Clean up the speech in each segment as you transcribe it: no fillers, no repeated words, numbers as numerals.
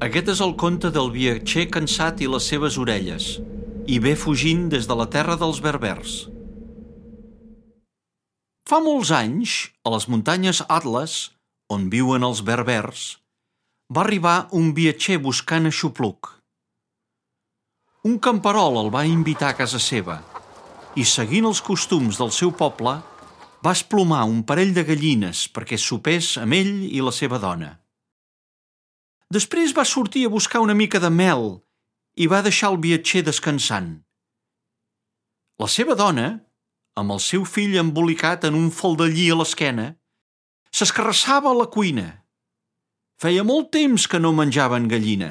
Aquest és el conte del viatger cansat i les seves orelles, i ve fugint des de la terra dels berbers. Fa molts anys, a les muntanyes Atles, on viuen els berbers, va arribar un viatger buscant aixopluc. Un camperol el va invitar a casa seva i, seguint els costums del seu poble, va esplomar un parell de gallines perquè sopés amb ell i la seva dona. Després va sortir a buscar una mica de mel i va deixar el viatger descansant. La seva dona, amb el seu fill embolicat en un faldellí a l'esquena, s'escarrassava a la cuina. Feia molt temps que no menjaven gallina.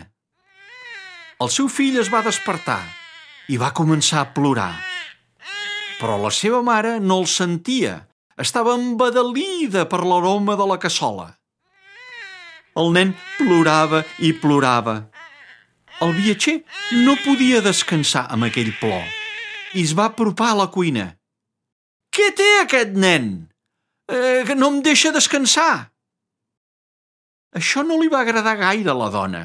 El seu fill es va despertar i va començar a plorar. Però la seva mare no el sentia. Estava embadalida per l'aroma de la cassola. El nen plorava i plorava. El viatger no podia descansar amb aquell plor i es va apropar a la cuina. «Què té aquest nen? Que no em deixa descansar!» Això no li va agradar gaire a la dona.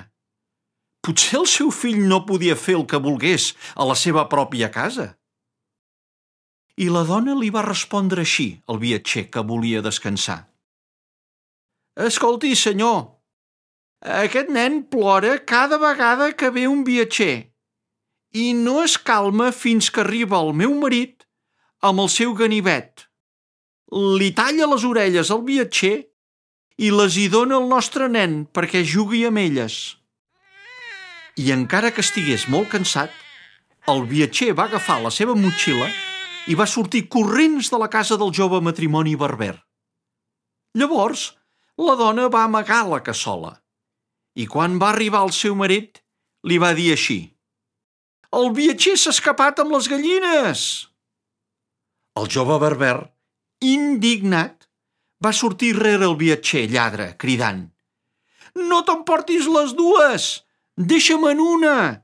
Potser el seu fill no podia fer el que volgués a la seva pròpia casa. I la dona li va respondre així al viatger que volia descansar. «Escolti, senyor, aquest nen plora cada vegada que ve un viatger i no es calma fins que arriba el meu marit amb el seu ganivet. Li talla les orelles al viatger i les hi dona al nostre nen perquè jugui amb elles». I encara que estigués molt cansat, el viatger va agafar la seva motxilla i va sortir corrents de la casa del jove matrimoni berber. Llavors, la dona va amagar la cassola i quan va arribar el seu marit li va dir així: «El viatger s'ha escapat amb les gallines!» El jove berber, indignat, va sortir rere el viatger lladre, cridant: «No t'emportis les dues! Deixa'm una!»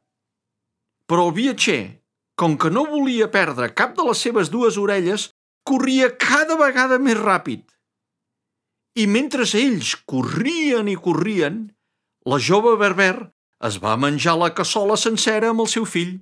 Però el viatger, com que no volia perdre cap de les seves dues orelles, corria cada vegada més ràpid. I mentre ells corrien i corrien, la jove berber es va menjar la cassola sencera amb el seu fill.